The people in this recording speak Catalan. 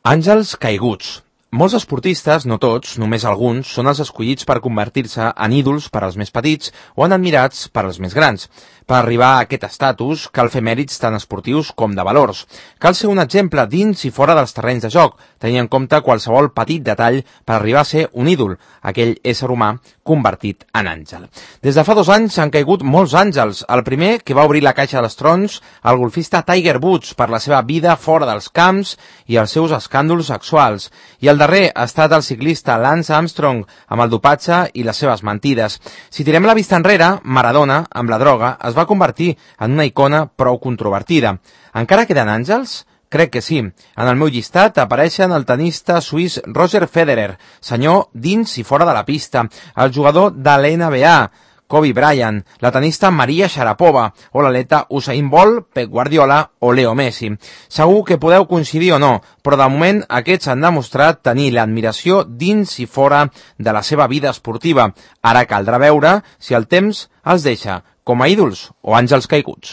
Àngels caiguts. Molts esportistes, no tots, només alguns, són els escollits per convertir-se en ídols per als més petits o en admirats per als més grans. Per arribar a aquest estatus cal fer mèrits tant esportius com de valors. Cal ser un exemple dins i fora dels terrenys de joc, tenint en compte qualsevol petit detall per arribar a ser un ídol, aquell ésser humà convertit en àngel. Des de fa 2 anys han caigut molts àngels. El primer, que va obrir la caixa dels trons, el golfista Tiger Woods per la seva vida fora dels camps i els seus escàndols sexuals. I el darrer ha estat el ciclista Lance Armstrong amb el dopatge i les seves mentides. Si tirem la vista enrere, Maradona, amb la droga, es va convertir en una icona prou controvertida. Encara queden àngels? Crec que sí. En el meu llistat apareixen el tenista suís Roger Federer, senyor dins i fora de la pista, el jugador de l'NBA, Kobe Bryant, la tenista Maria Sharapova o l'atleta Usain Bolt, Pep Guardiola o Leo Messi. Segur que podeu coincidir o no, però de moment aquests han demostrat tenir l'admiració dins i fora de la seva vida esportiva. Ara caldrà veure si el temps els deixa com a ídols o àngels caiguts.